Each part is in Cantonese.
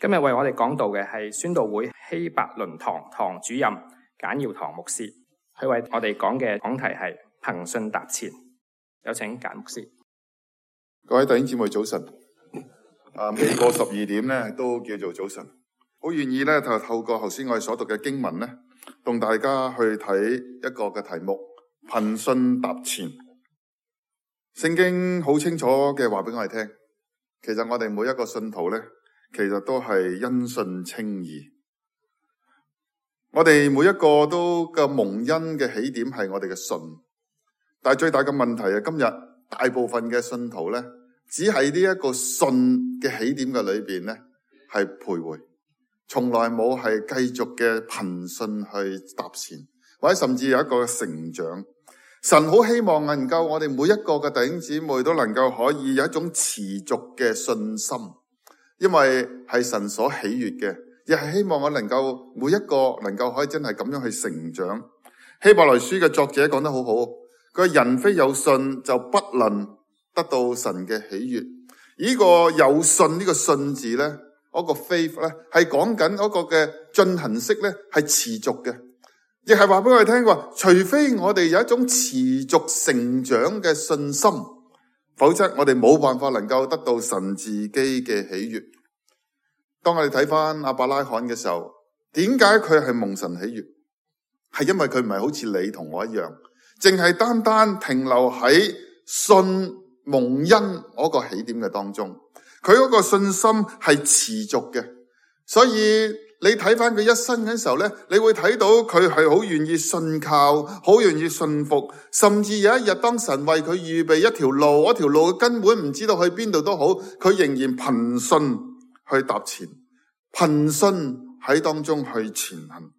今日為我哋講道嘅係宣道會希伯倫堂堂主任簡耀堂牧師，佢為我哋講嘅講題係憑信踏前。有請簡牧師。各位弟兄姊妹早晨。未過12點咧，都叫做早晨。好願意咧，就透過頭先我哋所讀嘅經文咧，同大家去睇一個嘅題目：憑信踏前。聖經好清楚嘅話俾我哋聽，其實我哋每一個信徒咧，其實都係因信稱義。我哋每一個都嘅蒙恩嘅起點係我哋嘅信，但係最大嘅問題係今日大部分嘅信徒咧，只係呢一個信嘅起點嘅裏邊咧，係徘徊，從來冇係繼續嘅憑信去踏前，或者甚至有一個成長。神好希望能夠我哋每一個嘅弟兄姊妹都能夠可以有一種持續嘅信心，因為係神所喜悅嘅，亦係希望我能夠每一個能夠可以真係咁樣去成長。希伯來書嘅作者講得好好，佢話人非有信就不能得到神嘅喜悅。呢個有信呢個信字咧，嗰個 faith 咧，係講緊嗰個嘅進行式咧，係持續嘅，亦係話俾我哋聽話，除非我哋有一種持續成長嘅信心，否則我哋冇辦法能夠得到神自己嘅喜悅。當我哋睇翻亞伯拉罕嘅時候，點解佢係蒙神喜悅？係因為佢唔係好似你同我一樣，淨係單單停留喺信蒙恩嗰個起點嘅當中，佢嗰個信心係持續嘅。所以你睇翻佢一生嘅時候咧，你會睇到佢係好願意信靠，好願意信服，甚至有一日當神為佢預備一條路，嗰條路根本唔知道去邊度都好，佢仍然憑信去踏前，憑信喺當中去前行。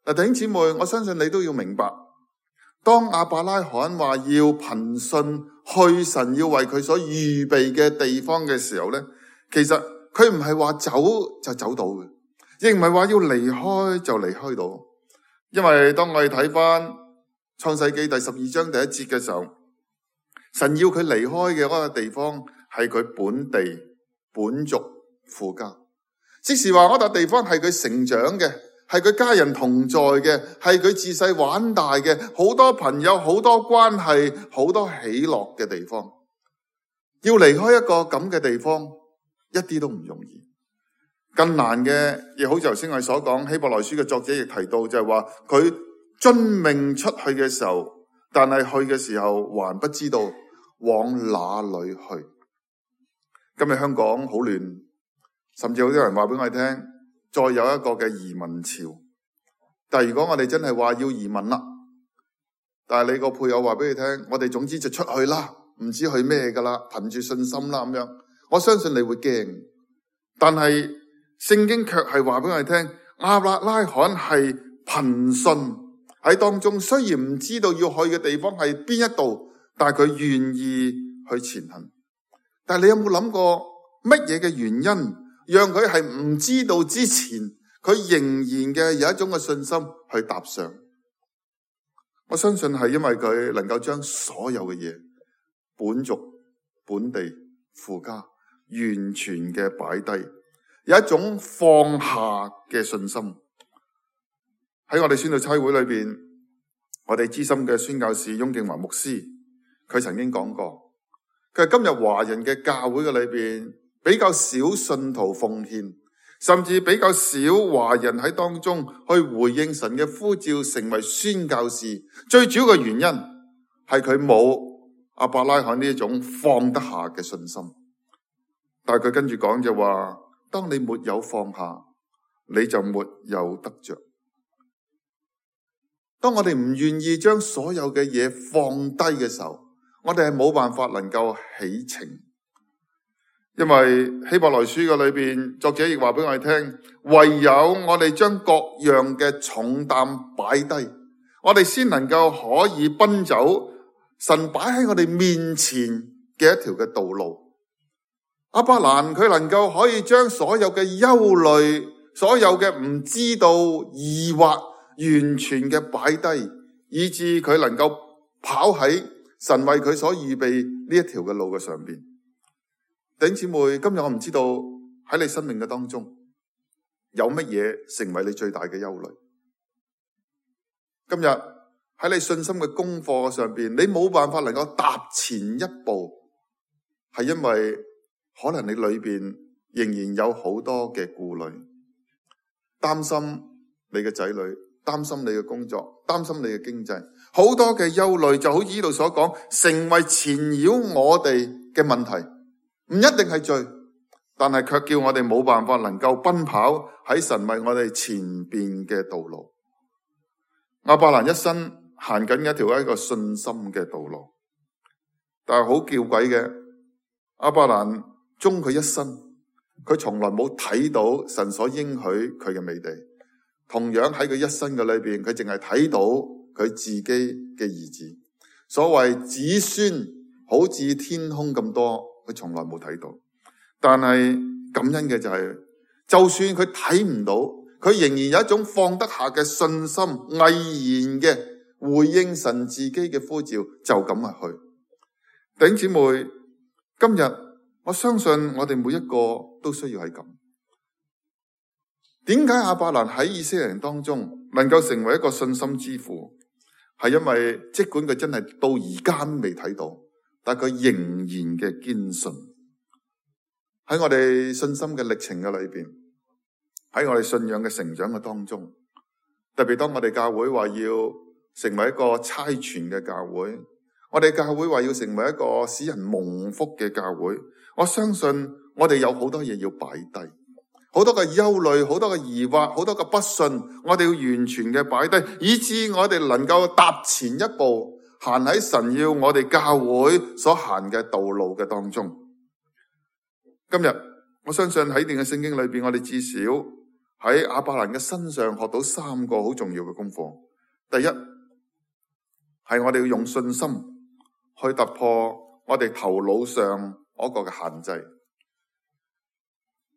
嗱，弟兄姊妹，我相信你都要明白，當亞伯拉罕話要憑信去神要為佢所預備嘅地方嘅時候咧，其實佢唔係話走就走到嘅，亦唔係話要離開就離開到。因為當我哋睇翻創世記第12章第1節嘅時候，神要佢離開嘅嗰個地方係佢本地本族父家，即是話嗰笪地方係佢成長嘅，係佢家人同在嘅，係佢自細玩大嘅，好多朋友，好多關係，好多喜樂嘅地方。要離開一個咁嘅地方，一啲都唔容易。更難嘅，亦好似頭先我哋所講，希伯來書嘅作者亦提到，就係話佢遵命出去嘅時候，但係去嘅時候還不知道往哪裏去。今日香港好亂，甚至好多人話俾我哋聽，再有一個嘅移民潮。但係如果我哋真係話要移民啦，但係你個配偶話俾你聽，我哋總之就出去啦，唔知去咩噶啦，憑住信心啦咁樣，我相信你會驚。但係聖經卻係話俾我哋聽，亞伯拉罕係憑信喺當中，雖然唔知道要去嘅地方係邊一度，但係佢願意去前行。但係你有冇諗過乜嘢嘅原因，讓佢係唔知道之前，佢仍然嘅有一種嘅信心去踏上？我相信係因為佢能夠將所有嘅嘢，本族、本地、父家，完全嘅擺低，有一種放下嘅信心。喺我哋宣道差會裏邊，我哋資深嘅宣教士翁敬華牧師，佢曾經講過，佢係今日華人嘅教會嘅裏邊，比較少信徒奉獻，甚至比較少華人喺當中去回應神嘅呼召，成為宣教士。最主要嘅原因係佢冇亞伯拉罕呢一種放得下嘅信心。但係佢跟住講就話，當你沒有放下，你就沒有得着。當我哋唔願意將所有嘅嘢放低嘅時候，我哋係冇辦法能夠起程。因為希伯來書嘅裏邊，作者亦話俾我哋聽，唯有我哋將各樣嘅重擔擺低，我哋先能夠可以奔走神擺喺我哋面前嘅一條嘅道路。亞伯蘭佢能夠可以將所有嘅憂慮，所有嘅唔知道、疑惑，完全嘅擺低，以致佢能夠跑喺神為佢所預備呢一條嘅路嘅上邊。弟兄姊妹，今日我唔知道喺你生命嘅當中，有乜嘢成為你最大嘅憂慮？今日喺你信心嘅功課上邊，你冇辦法能夠踏前一步，係因為可能你裏邊仍然有好多嘅顧慮，擔心你嘅仔女，擔心你嘅工作，擔心你嘅經濟，好多嘅憂慮，就好似呢度所講，成為纏繞我哋嘅問題，唔一定係罪，但係卻叫我哋冇辦法能夠奔跑喺神為我哋前邊嘅道路。亞伯蘭一生行緊一個信心嘅道路，但係好弔詭嘅，亞伯蘭終佢一生，佢從來冇睇到神所應許佢嘅美地。同樣喺佢一生嘅裏邊，佢淨係睇到佢自己嘅兒子。所謂子孫好似天空咁多，佢從來冇睇到。但係感恩嘅就係，就算佢睇唔到，佢仍然有一種放得下嘅信心，毅然嘅回應神自己嘅呼召，就咁去。弟兄姊妹，今日我相信我哋每一個都需要係咁。點解亞伯蘭喺以色列人當中能夠成為一個信心之父？係因為即管佢真係到而家未睇到，但佢仍然嘅堅信。喺我哋信心嘅歷程嘅裏邊，喺我哋信仰嘅成長嘅當中，特別當我哋教會話要成為一個差傳嘅教會，我哋教會話要成為一個使人蒙福嘅教會，我相信我哋有好多嘢要擺低，好多嘅憂慮，好多嘅疑惑，好多嘅不信，我哋要完全嘅擺低，以致我哋能夠踏前一步，行喺神要我哋教會所行嘅道路嘅當中。今日我相信喺呢段嘅聖經裏邊，我哋至少喺亞伯蘭嘅身上學到3個好重要嘅功課。第一，係我哋要用信心去突破我哋頭腦上嗰個嘅限制。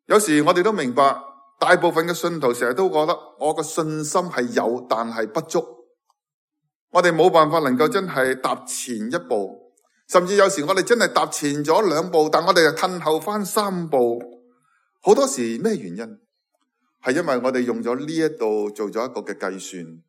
有時我哋都明白，大部分嘅信徒成日都覺得我嘅信心係有，但係不足。我哋冇辦法能夠真係踏前一步。甚至有時我哋真係踏前咗2步，但我哋又褪後翻3步。好多時咩原因？係因為我哋用咗呢一度做咗一個嘅計算，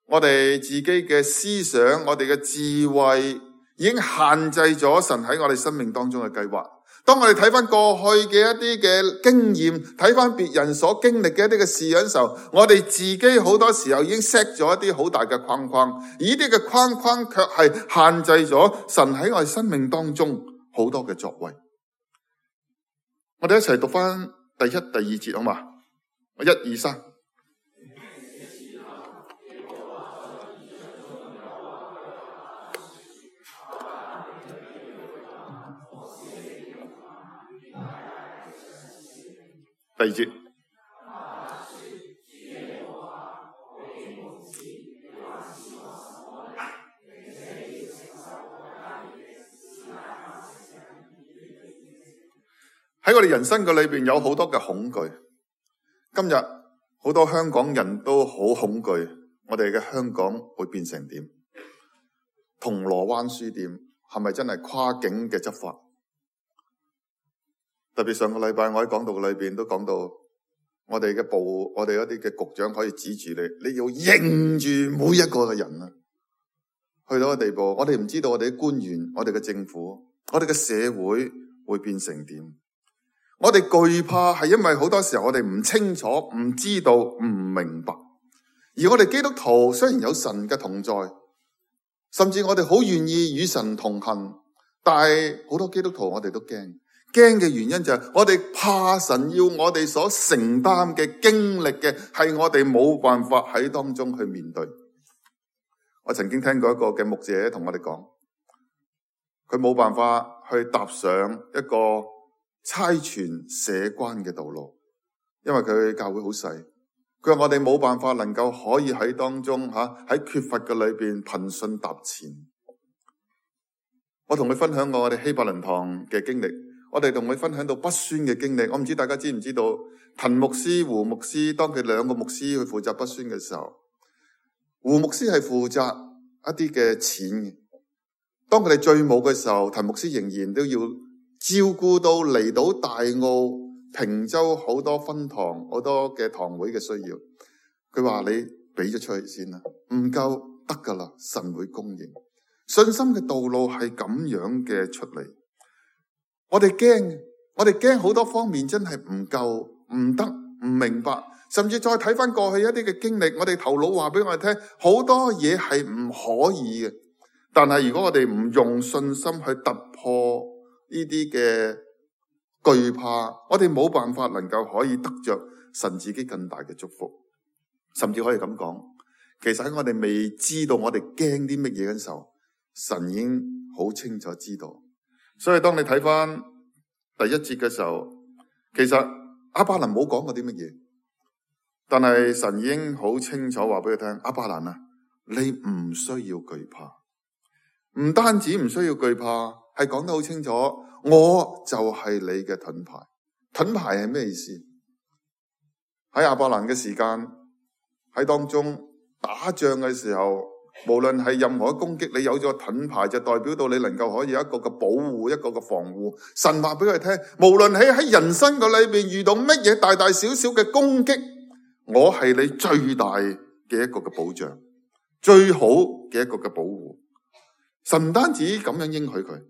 我哋自己嘅思想，我哋嘅智慧已經限制咗神喺我哋生命當中嘅計劃。當我哋睇翻過去嘅一啲嘅經驗，睇翻別人所經歷嘅一啲嘅事嘅時候，我哋自己好多時候已經 set 咗一啲好大嘅框框，而呢啲嘅框框卻係限制咗神喺我哋生命當中好多嘅作為。我哋一齊讀翻第1、第2節好嘛？1、2、3。第2節，喺我哋人生嘅裏邊有好多嘅恐懼。今日好多香港人都好恐懼，我哋嘅香港會變成點？銅鑼灣書店係咪真係跨境嘅執法？特別上個禮拜我喺講道裏邊都講到，我哋嘅部，我哋一啲嘅局長可以指住你，你要認住每一個嘅人啊！去到個地步，我哋唔知道我哋嘅官員、我哋嘅政府、我哋嘅社會會變成點？我哋懼怕係因為好多時候我哋唔清楚、唔知道、唔明白。而我哋基督徒雖然有神嘅同在，甚至我哋好願意與神同行，但係好多基督徒我哋都驚。驚嘅原因就係我哋怕神要我哋所承擔嘅經歷嘅係我哋冇辦法喺當中去面對。我曾經聽過一個嘅牧者同我哋講，佢冇辦法去踏上一個差傳社關嘅道路，因為佢教會好細。佢話我哋冇辦法能夠可以喺當中喺缺乏嘅裏邊憑信踏前。我同佢分享過我哋希伯倫堂嘅經歷。我哋同佢分享到不宣嘅經歷，我唔知大家知唔知道，滕牧師、胡牧師，當佢2個牧師去負責不宣嘅時候，胡牧師係負責一啲嘅錢嘅。當佢哋最冇嘅時候，滕牧師仍然都要照顧到嚟到大澳平洲好多分堂好多嘅堂會嘅需要，佢話你俾咗出去先啦，唔夠得噶啦，神會供應。信心嘅道路係咁樣嘅出嚟。我哋驚好多方面真係唔夠，唔得，唔明白，甚至再睇翻過去一啲嘅經歷，我哋頭腦話俾我哋聽，好多嘢係唔可以嘅。但係如果我哋唔用信心去突破呢啲嘅懼怕，我哋冇辦法能夠可以得着神自己更大嘅祝福。甚至可以咁講，其實喺我哋未知道我哋驚啲乜嘢嘅時候，神已經好清楚知道。所以當你睇翻第一節嘅時候，其實亞伯蘭冇講過啲乜嘢，但係神已經好清楚話俾佢聽，亞伯蘭啊，你唔需要懼怕。唔單止唔需要懼怕，係講得好清楚，我就係你嘅盾牌。盾牌係咩意思？喺亞伯蘭嘅時間，喺當中打仗嘅時候，無論係任何攻擊，你有咗盾牌就代表到你能夠可以有一個嘅保護，一個嘅防護。神話俾佢聽，無論喺人生嘅裏邊遇到乜嘢大大小小嘅攻擊，我係你最大嘅一個嘅保障，最好嘅一個嘅保護。神唔單止咁樣應許佢，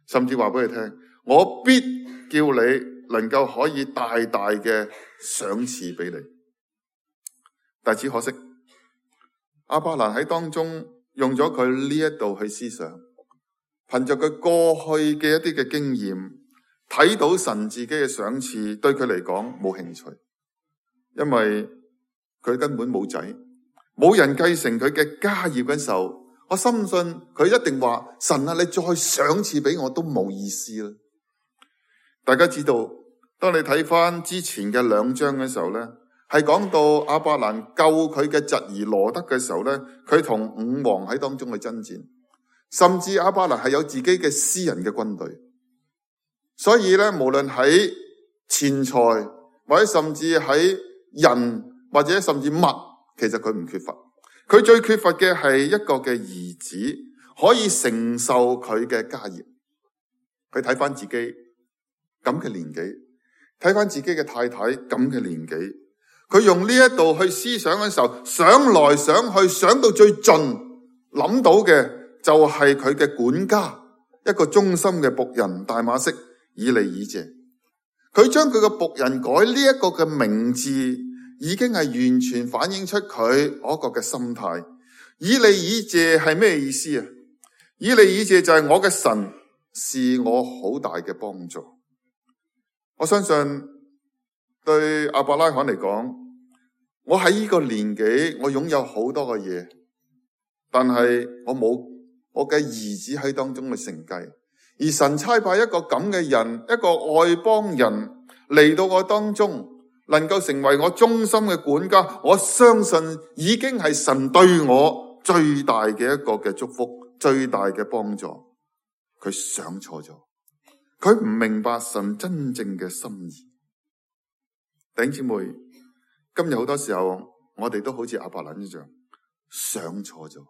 甚至話俾佢聽，我必叫你能夠可以大大嘅賞賜俾你。但只可惜，亞伯蘭喺當中用咗佢呢一度去思想，憑着佢過去嘅一啲嘅經驗，睇到神自己嘅賞賜，對佢嚟講冇興趣，因為佢根本冇仔，冇人繼承佢嘅家業嘅時候，我深信佢一定話，神啊，你再賞賜俾我都冇意思啦。大家知道，當你睇翻之前嘅2章嘅時候呢，係講到亞伯蘭救佢嘅侄兒羅得嘅時候呢，佢同5王喺當中去爭戰，甚至亞伯蘭係有自己嘅私人嘅軍隊。所以呢，無論喺錢財或者甚至喺人或者甚至物，其實佢唔缺乏。佢最缺乏嘅係一個嘅兒子，可以承受佢嘅家業。佢睇翻自己咁嘅年紀，睇翻自己嘅太太咁嘅年紀，佢用呢一度去思想嘅時候，想來想去，想到最盡，諗到嘅就係佢嘅管家，一個忠心嘅僕人大馬色以利以謝。佢將佢嘅僕人改呢一個嘅名字，已經係完全反映出佢嗰個嘅心態。以利以謝係咩意思啊？以利以謝就係我嘅神是我好大嘅幫助。我相信對亞伯拉罕嚟講，我喺呢個年紀，我擁有好多嘅嘢，但係我冇我嘅兒子喺當中去承繼。而神差派一個咁嘅人，一個外邦人嚟到我當中，能夠成為我忠心嘅管家，我相信已經係神對我最大嘅一個嘅祝福，最大嘅幫助。佢想錯咗，佢唔明白神真正嘅心意。弟兄姊妹，今日好多時候我哋都好似亞伯蘭一樣想錯咗，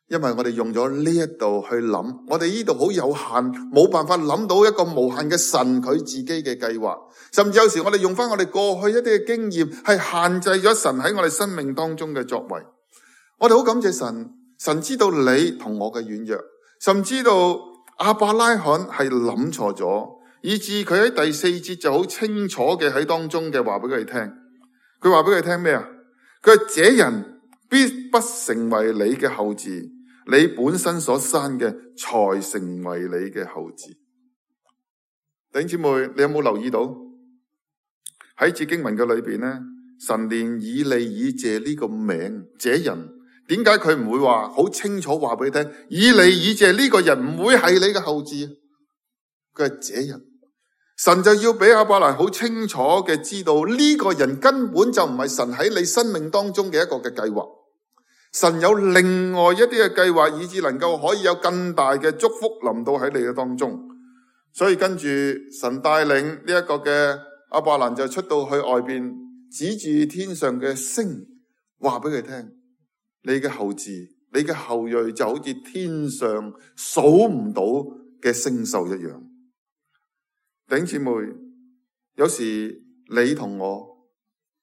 因為我哋用咗呢一度去諗，我哋呢度好有限，冇辦法諗到一個無限嘅神佢自己嘅計劃。甚至有時我哋用翻我哋過去一啲嘅經驗，係限制咗神喺我哋生命當中嘅作為。我哋好感謝神，神知道你同我嘅軟弱，甚至知道亞伯拉罕係諗錯咗，以致佢喺第4節就好清楚嘅喺當中嘅話俾佢哋聽。佢話俾佢聽咩啊？佢話這人必不成為你嘅後嗣，你本身所生嘅才成為你嘅後嗣。弟兄姊妹，你有冇留意到喺節經文嘅裏邊呢？神連以利以謝呢個名，這人點解佢唔會話好清楚話俾你聽？以利以謝呢個人唔會係你嘅後嗣，佢係這人。神就要俾亞伯蘭好清楚嘅知道，呢個人根本就唔係神喺你生命當中嘅一個嘅計劃。神有另外一啲嘅計劃，以致能夠可以有更大嘅祝福臨到喺你嘅當中。所以跟住神帶領呢一個嘅亞伯蘭就出到去外邊，指住天上嘅星，話俾佢聽：你嘅後嗣，你嘅後裔就好似天上數唔到嘅星宿一樣。弟兄姊妹，有時你同我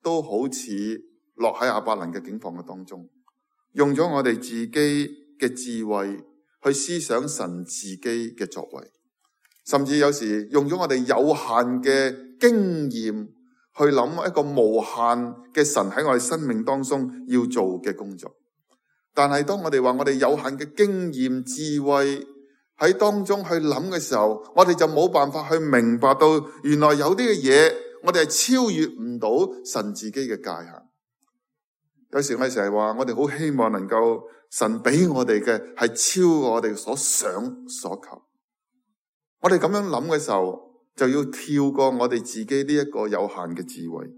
都好似落喺亞伯蘭嘅境況嘅當中，用咗我哋自己嘅智慧去思想神自己嘅作為，甚至有時用咗我哋有限嘅經驗去諗一個無限嘅神喺我哋生命當中要做嘅工作。但係當我哋話我哋有限嘅經驗智慧喺當中去諗嘅時候，我哋就冇辦法去明白到原來有啲嘅嘢我哋係超越唔到神自己嘅界限。有時我哋成日話我哋好希望能夠神俾我哋嘅係超過我哋所想所求。我哋咁樣諗嘅時候，就要跳過我哋自己呢一個有限嘅智慧。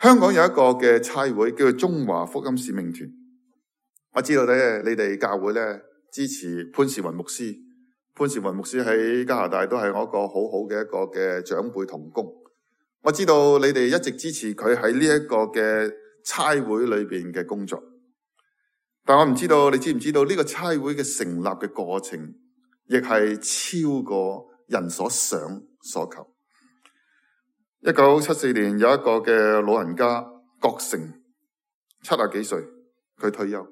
香港有一個嘅差會叫做中華福音使命團，我知道咧你哋教會咧支持潘士雲牧師。潘士雲牧師喺加拿大都係我一個好好嘅一個嘅長輩同工。我知道你哋一直支持佢喺呢一個嘅差會裏邊嘅工作，但我唔知道你知唔知道呢個差會嘅成立嘅過程，亦係超過人所想所求。1974年有一個嘅老人家郭成，70幾歲，佢退休。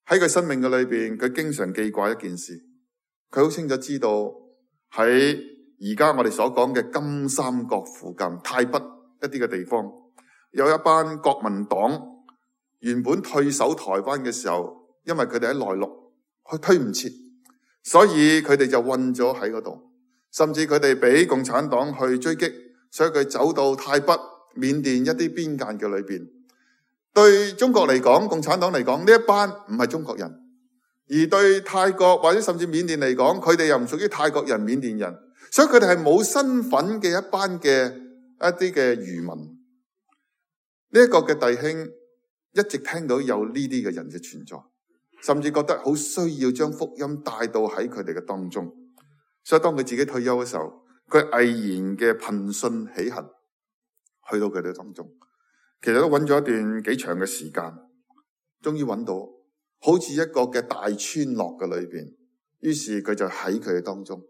喺佢生命嘅裏邊，佢經常記掛一件事，佢好清楚知道喺而家我哋所講嘅金三角附近泰北一啲嘅地方，有一班國民黨原本退守台灣嘅時候，因為佢哋喺內陸，佢推唔切，所以佢哋就困咗喺嗰度，甚至佢哋俾共產黨去追擊，所以佢走到泰北、緬甸一啲邊界嘅裏邊。對中國嚟講，共產黨嚟講，呢一班唔係中國人，而對泰國或者甚至緬甸嚟講，佢哋又唔屬於泰國人、緬甸人，所以佢哋係冇身份嘅一班嘅一啲嘅漁民。呢一個嘅弟兄一直聽到有呢啲嘅人嘅存在，甚至覺得好需要將福音帶到喺佢哋嘅當中。所以當佢自己退休嘅時候，佢毅然嘅憑信起行，去到佢哋當中。其實都揾咗一段幾長嘅時間，終於揾到，好似一個嘅大村落嘅裏邊。於是佢就喺佢哋當中，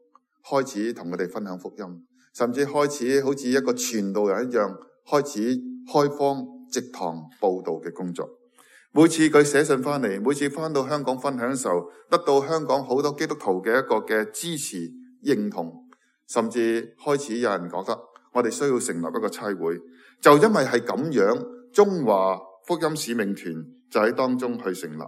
開始同佢哋分享福音，甚至開始好似一個傳道人一樣，開始開荒植堂佈道嘅工作。每次佢寫信翻嚟，每次翻到香港分享嘅時候，得到香港好多基督徒嘅一個嘅支持認同，甚至開始有人覺得我哋需要成立一個差會。就因為係咁樣，中華福音使命團就喺當中去成立。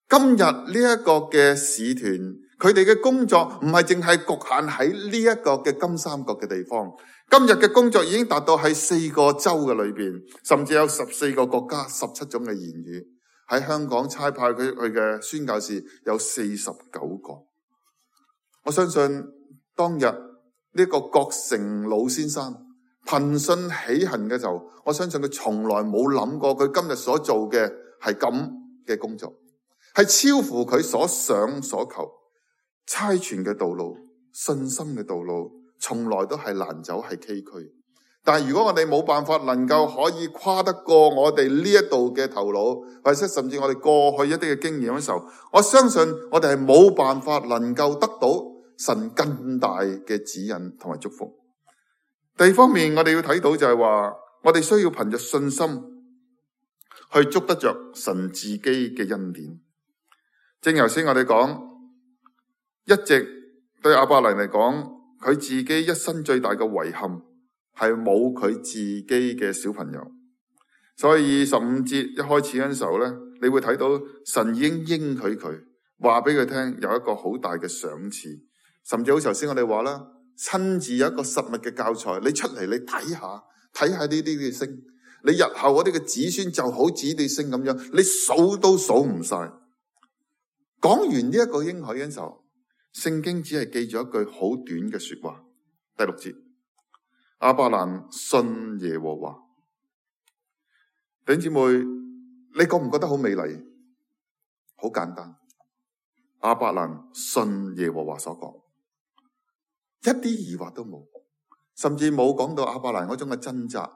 今日呢一個嘅使團，佢哋嘅工作唔係淨係局限喺呢一個嘅金三角嘅地方。今日嘅工作已經達到喺4個州嘅裏邊，甚至有14個國家、17種嘅言語。喺香港差派佢嘅宣教士有49個。我相信當日呢個郭成老先生憑信起行嘅時候，我相信佢從來冇諗過佢今日所做嘅係咁嘅工作，係超乎佢所想所求。差傳嘅道路、信心嘅道路，從來都係難走，係崎嶇。但係如果我哋冇辦法能夠可以跨得過我哋呢一度嘅頭腦，或者甚至我哋過去一啲嘅經驗嘅時候，我相信我哋係冇辦法能夠得到神更大嘅指引同埋祝福。第二方面，我哋要睇到就係話，我哋需要憑着信心去捉得着神自己嘅恩典。正如頭先我哋講，一直對亞伯蘭嚟講，佢自己一生最大嘅遺憾係冇佢自己嘅小朋友。所以15節一開始嗰陣時候咧，你會睇到神已經應許佢，話俾佢聽有一個好大嘅賞賜，甚至好似頭先我哋話啦，親自有一個實物嘅教材，你出嚟你睇下呢啲嘅星，你日後嗰啲嘅子孫就好似啲星咁樣，你數都數唔晒。講完呢一個應許嘅時候，聖經只係記咗一句好短嘅說話，第6節，亞伯蘭信耶和華。弟兄姊妹，你覺唔覺得好美麗？好簡單，亞伯蘭信耶和華所講，一啲疑惑都冇，甚至冇講到亞伯蘭嗰種嘅掙扎，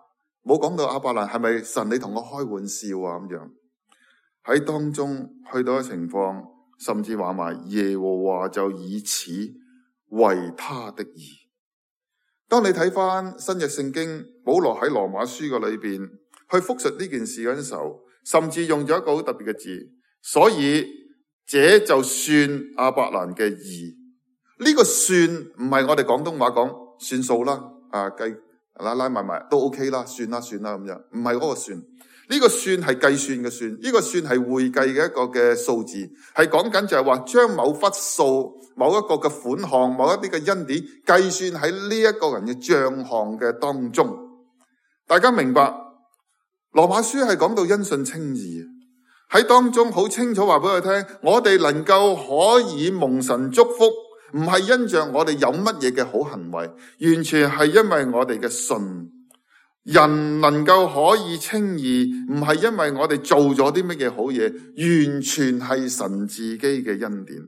冇講到亞伯蘭係咪神你同我開玩笑啊咁樣。喺當中去到嘅情況，甚至話埋耶和華就以此為他的義。當你睇翻新約聖經，保羅喺羅馬書嘅裏邊去複述呢件事嗰陣時候，甚至用咗一個好特別嘅字，所以這就算亞伯蘭嘅義。呢個算唔係我哋廣東話講算數啦，計拉埋都 OK 啦，算啦咁樣，唔係嗰個算。呢個算係計算嘅算，呢個算係會計嘅一個嘅數字，係講緊就係話將某筆數、某一個嘅款項、某一啲嘅恩典計算喺呢一個人嘅賬項嘅當中。大家明白？羅馬書係講到因信稱義，喺當中好清楚話俾佢聽，我哋能夠可以蒙神祝福，唔係因着我哋有乜嘢嘅好行為，完全係因為我哋嘅信。人能夠可以稱義，唔係因為我哋做咗啲乜嘢好嘢，完全係神自己嘅恩典。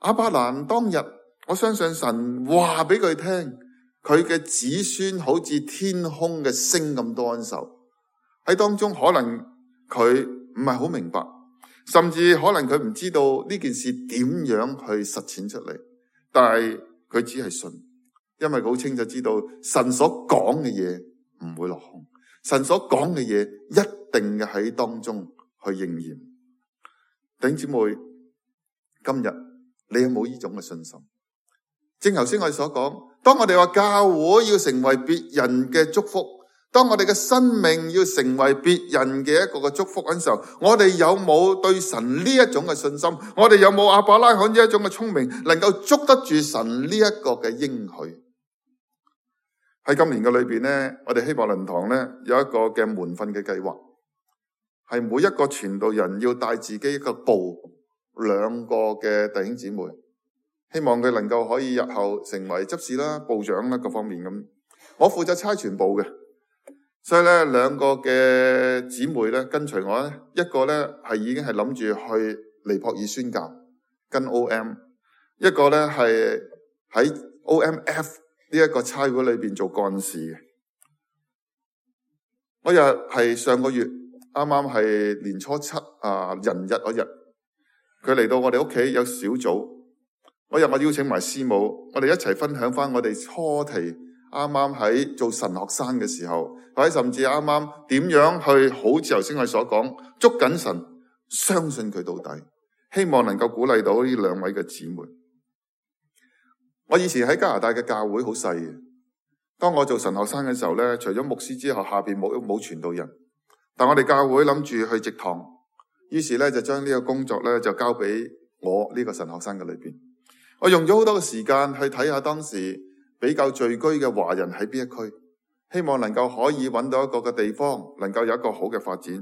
亞伯蘭當日，我相信神話俾佢聽，佢嘅子孫好似天空嘅星咁多恩受。喺當中可能佢唔係好明白，甚至可能佢唔知道呢件事點樣去實踐出嚟，但係佢只係信，因為佢好清楚知道神所講嘅嘢唔會落空，神所講嘅嘢一定嘅喺當中去應驗。弟兄姊妹，今日你有冇呢種嘅信心？正頭先我哋所講，當我哋話教會要成為別人嘅祝福，當我哋嘅生命要成為別人嘅一個嘅祝福嗰陣時候，我哋有冇對神呢一種嘅信心？我哋有冇亞伯拉罕呢一種嘅聰明，能夠捉得住神呢一個嘅應許？喺今年嘅裏邊呢，我哋希伯倫堂呢有一個嘅門訓嘅計劃，係每一個傳道人要帶自己一個部兩個嘅弟兄姊妹，希望佢能夠可以日後成為執事啦、部長啦各方面咁。我負責差傳部嘅，所以咧兩個嘅姊妹咧跟隨我咧，一個咧係已經係諗住去尼泊爾宣教跟 OM， 一個咧係喺 OMF 呢一個差會裏邊做幹事嘅。嗰日係上個月啱啱係年初七人日嗰日，佢嚟到我哋屋企有小組。嗰日我邀請埋師母，我哋一齊分享翻我哋初期啱啱喺做神學生嘅時候，或者甚至啱啱點樣去好似頭先我哋所講捉緊神，相信佢到底，希望能夠鼓勵到呢兩位嘅姊妹。我以前喺加拿大嘅教會好細嘅，當我做神學生嘅時候咧，除咗牧師之後，下邊冇傳道人，但我哋教會諗住去植堂，於是咧就將呢個工作咧就交俾我呢個神學生嘅裏邊。我用咗好多嘅時間去睇下當時比較聚居嘅華人喺邊一區，希望能夠可以揾到一個嘅地方，能夠有一個好嘅發展。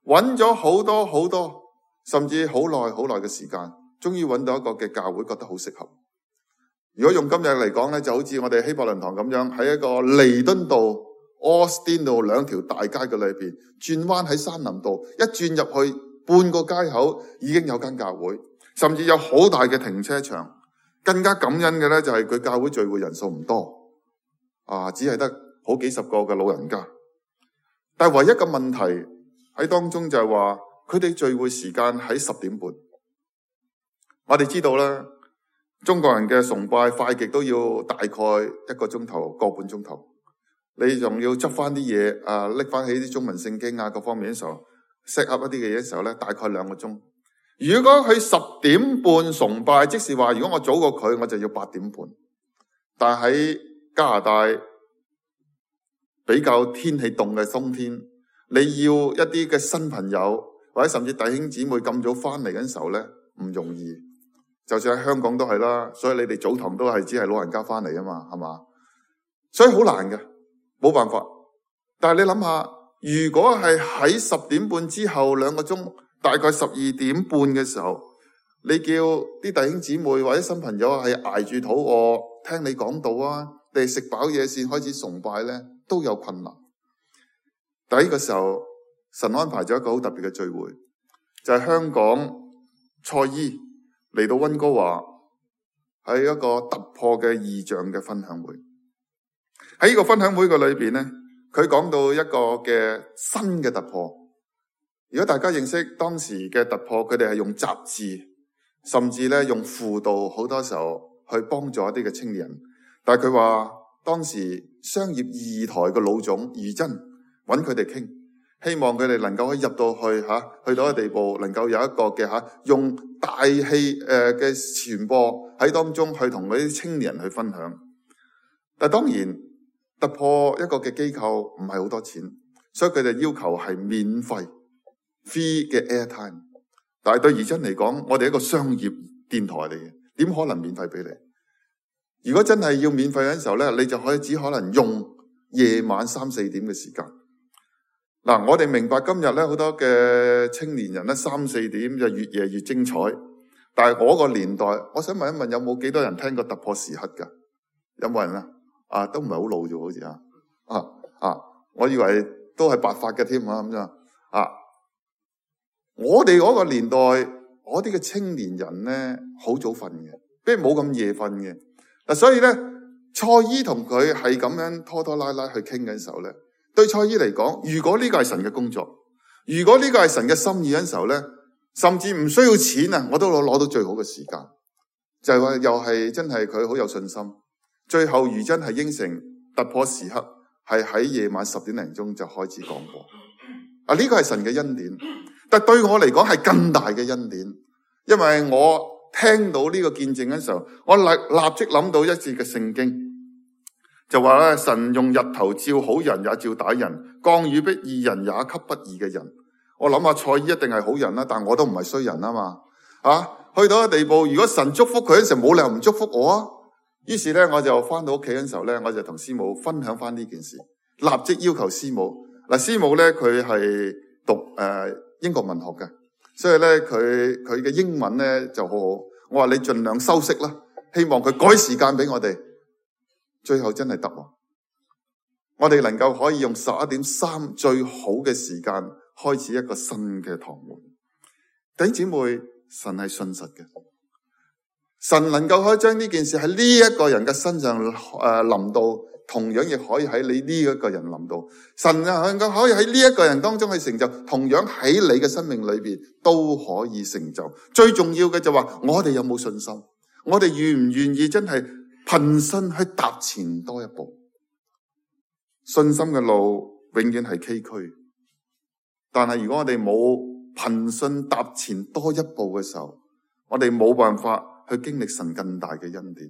揾咗好多，甚至好耐嘅時間，終於揾到一個嘅教會，覺得好適合。如果用今日嚟講咧，就好似我哋希伯倫堂咁樣，喺一個彌敦道、奧斯汀道兩條大街嘅裏邊，轉彎喺山林道，一轉入去半個街口已經有間教會，甚至有好大嘅停車場。更加感恩嘅咧，就係佢教會聚會人數唔多，只係得好幾十個嘅老人家。但係唯一嘅問題喺當中就係話，佢哋聚會時間喺10點半。我哋知道啦，中國人嘅崇拜快極都要大概1個鐘頭、個半鐘頭。你仲要執翻啲嘢，拎翻起啲中文聖經各方面嘅時候 set up 一啲嘅嘢嘅時候咧，大概2個鐘。如果佢10點半崇拜，即是話如果我早過佢，我就要8點半。但係喺加拿大比較天氣凍嘅冬天，你要一啲嘅新朋友或者甚至弟兄姊妹咁早翻嚟嘅時候咧，唔容易。就算喺香港都係啦，所以你哋早堂都係只係老人家翻嚟啊嘛，係嘛？所以好難嘅，冇辦法。但係你諗下，如果係喺10點半之後2個鐘，大概12點半嘅時候，你叫啲弟兄姊妹或者新朋友係挨住肚餓聽你講道啊，定係食飽嘢先開始崇拜咧，都有困難。但係呢個時候，神安排咗一個好特別嘅聚會，就係香港蔡姨嚟到溫哥華，喺一個突破嘅異象嘅分享會。喺呢個分享會嘅裏邊咧，佢講到一個嘅新嘅突破。如果大家認識當時嘅突破，佢哋係用雜誌，甚至咧用輔導，好多時候去幫助一啲嘅青年人。但係佢話當時商業二台嘅老總余真揾佢哋傾，希望佢哋能夠可以入到去去到一個地步，能夠有一個嘅用大氣嘅傳播喺當中去同嗰啲青年人去分享。但當然突破一個嘅機構唔係好多錢，所以佢哋要求係免費 free 嘅 airtime。但係對余真嚟講，我哋一個商業電台嚟嘅，點可能免費俾你？如果真係要免費嘅時候咧，你就只可能用夜晚3、4點嘅時間。嗱，我哋明白今日咧好多嘅青年人咧3、4點就越夜越精彩。但係我個年代，我想問一問，有冇幾多人聽過突破時刻㗎？有冇人啊？都唔係好老啫，好似我以為都係白髮嘅添咁樣我哋嗰個年代，我哋嘅青年人咧好早瞓嘅，不如冇咁夜瞓嘅。嗱，所以咧，蔡姨同佢係咁樣拖拖拉拉去傾嘅時候咧，對蔡姨嚟講，如果呢個係神嘅工作，如果呢個係神嘅心意嘅時候咧，甚至唔需要錢啊，我都攞到最好嘅時間。就係話又係真係佢好有信心。最後余真係應承突破時刻，係喺夜晚10點零鐘就開始講過。呢個係神嘅恩典，但對我嚟講係更大嘅恩典，因為我聽到呢個見證嘅時候，我立即諗到一節嘅聖經，就話咧，神用日頭照好人也照歹人，降雨俾義人也給不義嘅人。我諗下蔡姨一定係好人啦，但我都唔係衰人啊嘛。去到一個地步，如果神祝福佢嗰時候，冇理由唔祝福我啊。於是咧，我就翻到屋企嗰時候咧，我就同師母分享翻呢件事，立即要求師母。嗱，師母咧佢係讀英國文學嘅。所以咧，佢嘅英文咧就好好。我話你盡量修飾啦，希望佢改時間俾我哋。最後真係得喎，我哋能夠可以用11:03最好嘅時間開始一個新嘅堂會。弟兄姊妹，神係信實嘅，神能夠可以將呢件事喺呢一個人嘅身上臨到，同樣亦可以喺你呢一個人臨到。神能夠可以喺呢一個人當中去成就，同樣喺你嘅生命裏邊都可以成就。最重要嘅就話，我哋有冇信心？我哋願唔願意真係憑信去踏前多一步？信心嘅路永遠係崎嶇，但係如果我哋冇憑信踏前多一步嘅時候，我哋冇辦法去經歷神更大嘅恩典。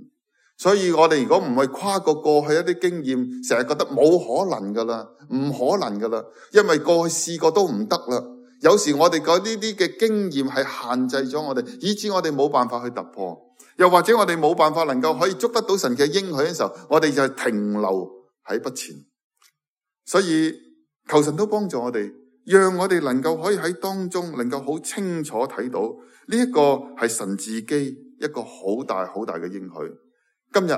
所以我哋如果唔係跨過過去一啲經驗，成日覺得冇可能噶啦，唔可能噶啦，因為過去試過都唔得啦。有時我哋嗰啲嘅經驗係限制咗我哋，以致我哋冇辦法去突破，又或者我哋冇辦法能夠可以捉得到神嘅應許嘅時候，我哋就停留喺不前。所以求神都幫助我哋，讓我哋能夠可以喺當中能夠好清楚睇到呢一個係神自己一個好大好大嘅應許。今日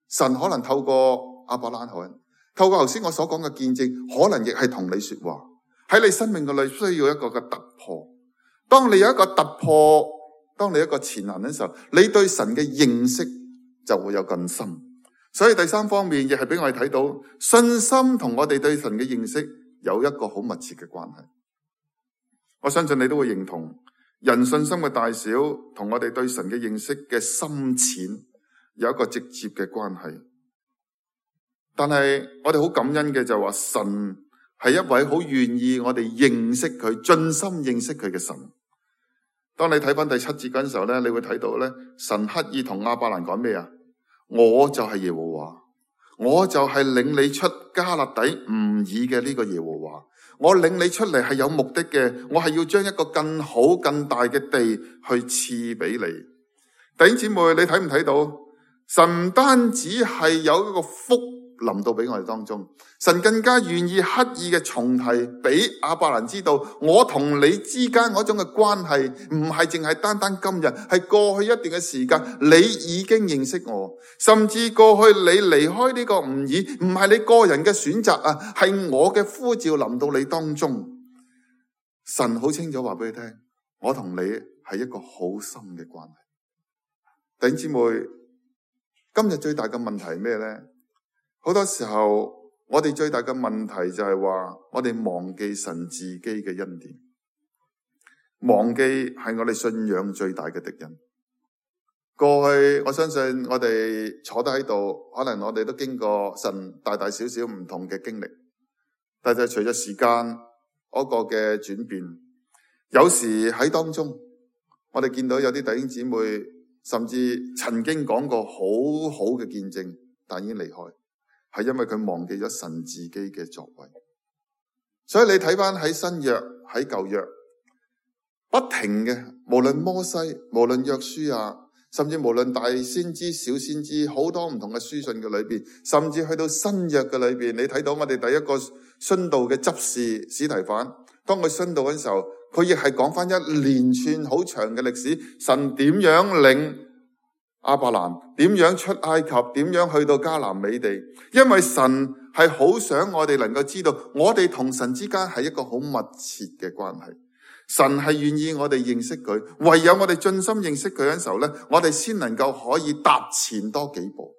神可能透過亞伯蘭海，透過頭先我所講嘅見證，可能亦係同你說話。喺你生命嘅裏需要一個嘅突破。當你有一個突破，當你一個前行嘅時候，你對神嘅認識就會有更深。所以第三方面亦係俾我哋睇到，信心同我哋對神嘅認識有一個好密切嘅關係。我相信你都會認同，人信心嘅大小同我哋對神嘅認識嘅深淺有一個直接嘅關係。但係我哋好感恩嘅就話，神係一位好願意我哋認識佢、盡心認識佢嘅神。當你睇翻第7節嗰陣時候咧，你會睇到咧，神刻意同亞伯蘭講咩啊？我就係耶和華，我就係領你出迦勒底吾爾嘅呢個耶和華。我領你出嚟係有目的嘅，我係要將一個更好更大嘅地去賜俾你。弟兄姊妹，你睇唔睇到？神唔單止係有一個福臨到俾我哋當中，神更加願意刻意嘅重提俾亞伯蘭知道，我同你之間嗰種嘅關係唔係淨係單單今日，係過去一段嘅時間，你已經認識我，甚至過去你離開呢個吾爾，唔係你個人嘅選擇啊，係我嘅呼召臨到你當中。神好清楚話俾你聽，我同你係一個好深嘅關係。弟兄姊妹，今日最大嘅問題係咩呢？好多時候我哋最大嘅問題就係話，我哋忘記神自己嘅恩典，忘記係我哋信仰最大嘅敵人。過去我相信我哋坐低喺度，可能我哋都經過神大大小小唔同嘅經歷，但係隨着時間嗰個嘅轉變，有時喺當中我哋見到有啲弟兄姊妹甚至曾經講過好好嘅見證，但已經離開，係因為佢忘記咗神自己嘅作為。所以你睇翻喺新約喺舊約不停嘅，無論摩西，無論約書亞，甚至無論大先知小先知，好多唔同嘅書信嘅裏邊，甚至去到新約嘅裏邊，你睇到我哋第一個殉道嘅執事司提反，當佢殉道嘅時候，佢亦係講翻一連串好長嘅歷史，神點樣領亞伯蘭，點樣出埃及，點樣去到迦南美地，因為神係好想我哋能夠知道，我哋同神之間係一個好密切嘅關係。神係願意我哋認識佢，唯有我哋盡心認識佢嘅時候咧，我哋先能夠可以踏前多幾步。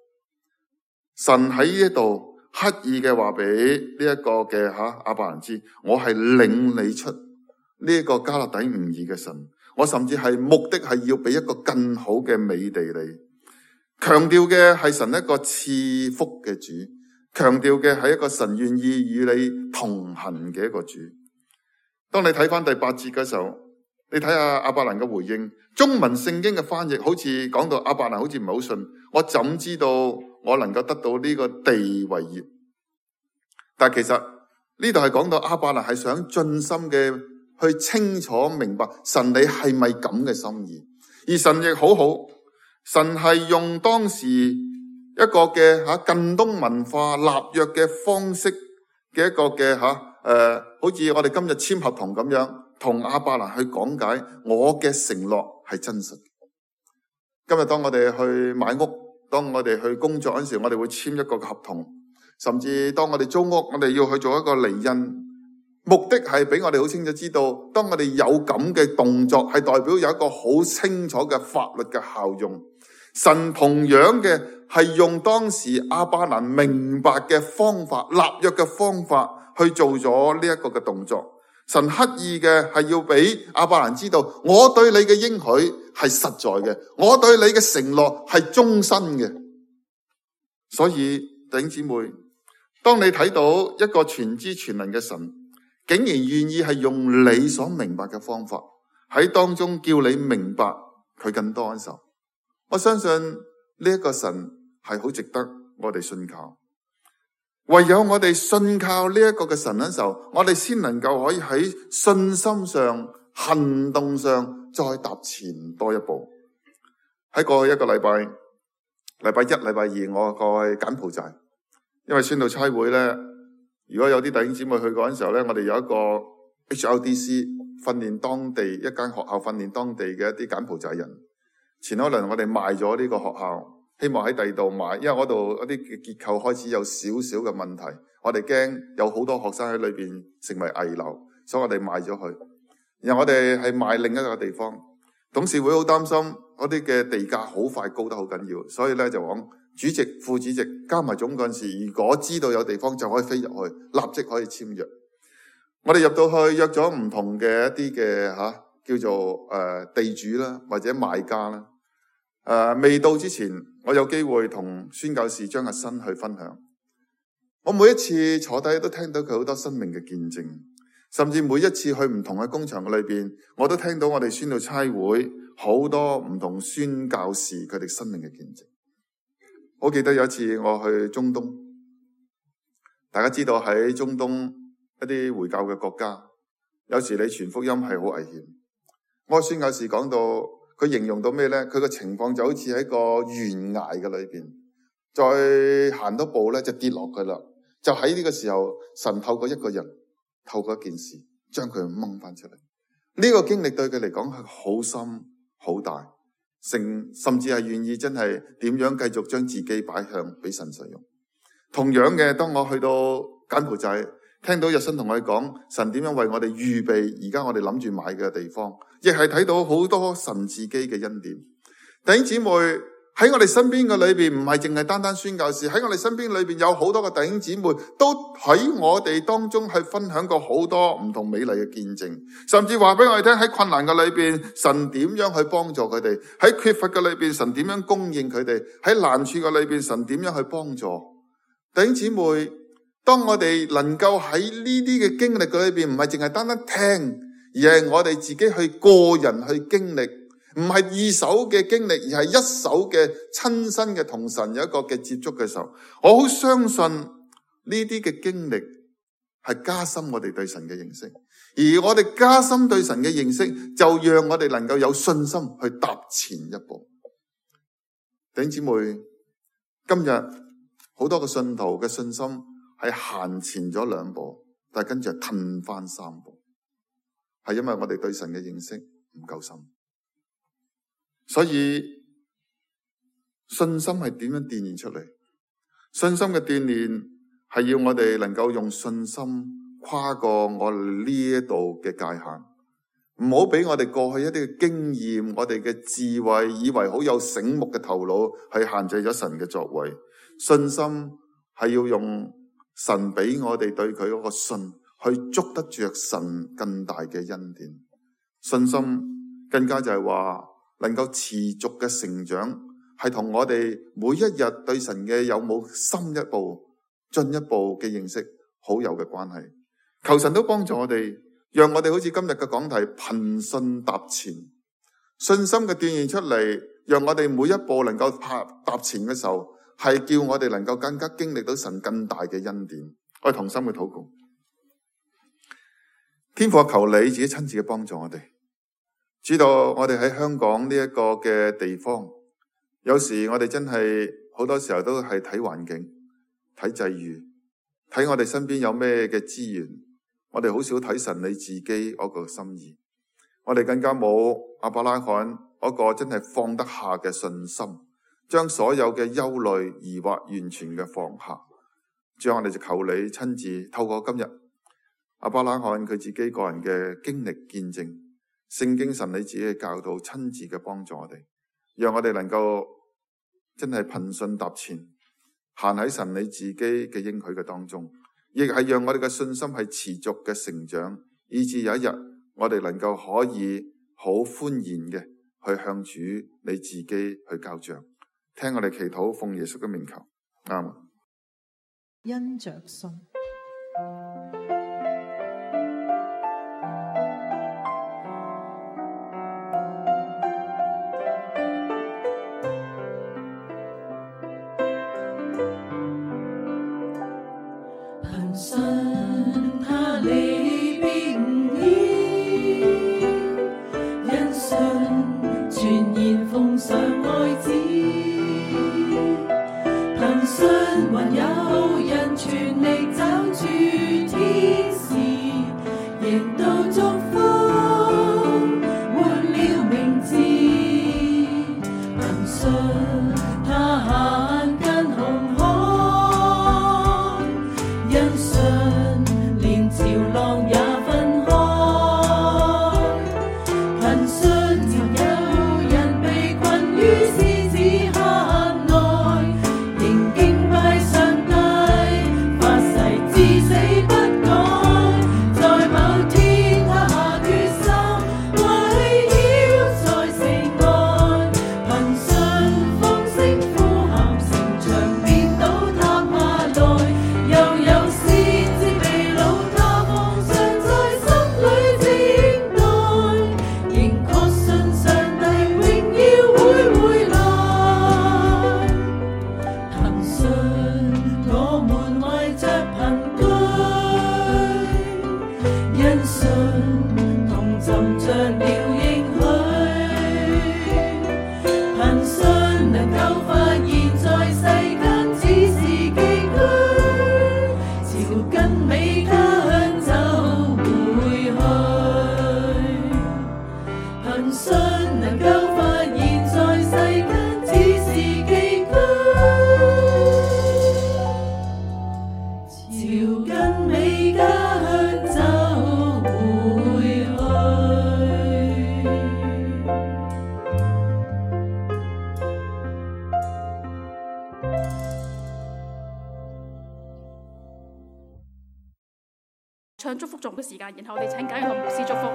神喺呢一度刻意嘅話俾呢一個嘅亞伯蘭知，我係領你出呢一個迦勒底吾珥嘅神，我甚至係目的係要俾一個更好嘅美地你。強調嘅係神一個賜福嘅主，強調嘅係一個神願意與你同行嘅一個主。當你睇翻第8節嘅時候，你睇下亞伯蘭嘅回應，中文聖經嘅翻譯好似講到亞伯蘭好似唔係好信，我怎知道我能夠得到呢個地為業？但其實呢度係講到亞伯蘭係想盡心嘅去清楚明白神你係咪咁嘅心意，而神亦好好，神係用當時一個嘅近東文化立約嘅方式嘅一個嘅好似我哋今日簽合同咁樣，同亞伯蘭去講解我嘅承諾係真實。今日當我哋去買屋，當我哋去工作嗰陣時，我哋會簽一個合同，甚至當我哋租屋，我哋要去做一個離印，目的係俾我哋好清楚知道，當我哋有咁嘅動作，係代表有一個好清楚嘅法律嘅效用。神同樣嘅係用當時亞伯蘭明白嘅方法，立約嘅方法去做咗呢一個嘅動作。神刻意嘅係要俾亞伯蘭知道，我對你嘅應許係實在嘅，我對你嘅承諾係終身嘅。所以弟兄姊妹，當你睇到一個全知全能嘅神，竟然願意係用你所明白嘅方法喺當中叫你明白佢更多嘅時候，我相信呢一個神係好值得我哋信靠。唯有我哋信靠呢一個嘅神嘅時候，我哋先能夠可以喺信心上、行動上再踏前多一步。喺過去一個禮拜，禮拜一、禮拜二，我過去柬埔寨，因為宣道差會咧，如果有啲弟兄姊妹去過嗰陣時候咧，我哋有一個 HRDC 訓練當地一間學校，訓練當地嘅一啲柬埔寨人。前可能我哋賣咗呢個學校，希望喺第二度買，因為嗰度一啲結構開始有少少嘅問題，我哋驚有好多學生喺裏邊成為危樓，所以我哋賣咗佢。然後我哋係賣另一個地方，董事會好擔心嗰啲嘅地價好快高得好緊要，所以咧就講主席、副主席加埋總幹事，如果知道有地方就可以飛入去，立即可以簽約。我哋入到去約咗唔同嘅一啲嘅叫做地主啦，或者賣家啦。未到之前，我有機會同宣教士張日新去分享。我每一次坐低都聽到佢好多生命嘅見證，甚至每一次去唔同嘅工場嘅裏邊，我都聽到我哋宣道差會好多唔同宣教士佢哋生命嘅見證。我記得有一次我去中東，大家知道喺中東一啲回教嘅國家，有時你傳福音係好危險。我宣教士講到，佢形容到咩呢？佢個情況就好似喺個懸崖嘅裏邊，再行多步咧就跌落去啦。就喺呢個時候，神透過一個人，透過一件事，將佢掹翻出嚟。呢個經歷對佢嚟講係好深好大，甚至係願意真係點樣繼續將自己擺向俾神使用。同樣嘅，當我去到柬埔寨，聽到日新同我哋講神點樣為我哋預備而家我哋諗住買嘅地方，亦係睇到好多神自己嘅恩典。弟兄姊妹，喺我哋身邊嘅裏邊，唔係淨係單單宣教士，喺我哋身邊裏邊有好多嘅弟兄姊妹，都喺我哋當中去分享過好多唔同美麗嘅見證，甚至話俾我哋聽喺困難嘅裏邊，神點樣去幫助佢哋；喺缺乏嘅裏邊，神點樣供應佢哋；喺難處嘅裏邊，神點樣去幫助弟兄姊妹。當我哋能夠喺呢啲嘅經歷嘅裏邊，唔係淨係單單聽，而係我哋自己去個人去經歷，唔係二手嘅經歷，而係一手嘅親身嘅同神有一個嘅接觸嘅時候，我好相信呢啲嘅經歷係加深我哋對神嘅認識，而我哋加深對神嘅認識，就讓我哋能夠有信心去踏前一步。弟兄姊妹，今日好多個信徒嘅信心係行前咗2步，但係跟住係褪翻3步，係因為我哋對神嘅認識唔夠深。所以信心係點樣鍛煉出嚟？信心嘅鍛煉係要我哋能夠用信心跨過我哋呢一度嘅界限，唔好俾我哋過去一啲嘅經驗，我哋嘅智慧，以為好有醒目嘅頭腦，去限制咗神嘅作為。信心係要用神俾我哋對佢嗰個信，去捉得着神更大嘅恩典。信心更加就係話能夠持續嘅成長，係同我哋每一日對神嘅有冇深一步、進一步嘅認識好有嘅關係。求神都幫助我哋，讓我哋好似今日嘅講題憑信踏前，信心嘅鍛煉出嚟，讓我哋每一步能夠踏前嘅時候，係叫我哋能夠更加經歷到神更大嘅恩典。我哋同心去禱告，天父，求你自己親自嘅幫助我哋。知道我哋喺香港呢一個嘅地方，有時我哋真係好多時候都係睇環境、睇際遇、睇我哋身邊有咩嘅資源，我哋好少睇神你自己嗰個心意。我哋更加冇亞伯拉罕嗰個真係放得下嘅信心，將所有嘅憂慮疑惑完全嘅放下。主啊，我哋就求你親自透過今日亞伯拉罕佢自己個人嘅經歷見證，聖經神你自己嘅教導，親自嘅幫助我哋，讓我哋能夠真係憑信踏前，行喺神你自己嘅應許嘅當中，亦係讓我哋嘅信心係持續嘅成長，以至有一日我哋能夠可以好歡然嘅去向主你自己去交賬。聽我哋祈禱，奉耶穌嘅名求，阿們。因着信。憑信他離別唔易，因信全然奉上愛子，憑信還有人全力找住天使，贏到祝福換了名字，憑信他行近紅海，因信連潮浪也分開，憑信曾有人被困於獅子坑內，仍敬拜上帝，發誓至死不改，在某天他下決心圍繞在城外，憑信風聲呼喊，城牆變倒塌下來，又有先知被擄，他放上在心裏靜待，仍確信上帝榮耀會回來，憑信我們懷着憑據，因信同尋着了應許，憑信能夠發現在世間只是寄居，朝更美家鄉走回去，憑信能夠發現在世間只是寄居，朝更美家鄉走回去。唱祝福頌嘅時間，然後我哋請簡耀堂牧師祝福。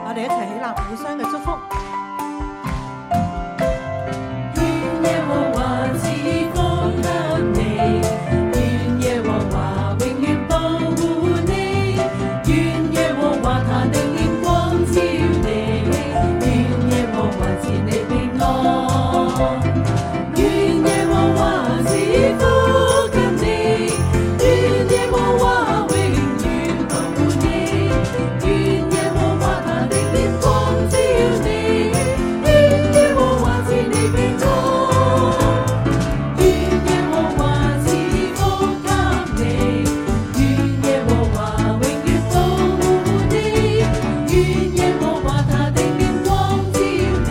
我哋一齊起立，互相嘅祝福。願耶和華賜福給你，願耶和華永遠保護你，願耶和華他的臉光照你，願耶和華賜你平安，願耶和華賜福給你，願耶和華永遠保護你，願耶和華他的臉光照你，願耶和華賜你平安，願耶和華賜福給你，願耶和華永遠保護你，願耶和華他的臉光照你，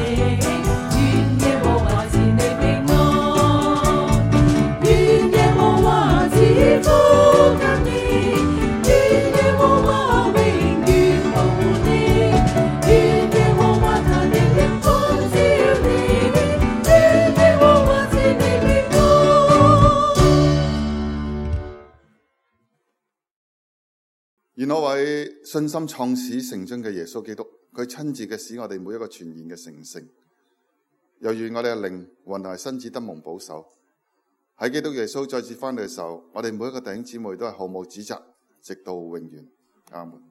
願耶和華賜你平安，願耶和華賜福給你，願耶和華永遠保護你，願耶和華他的臉光照你，願耶和華賜你平安。願我為信心創始成終嘅耶穌基督，佢親自嘅使我哋每一個全然嘅成聖，又願我哋嘅靈魂同埋身子得蒙保守。喺基督耶穌再次翻嚟嘅時候，我哋每一個弟兄姊妹都係毫無指責，直到永遠。阿門。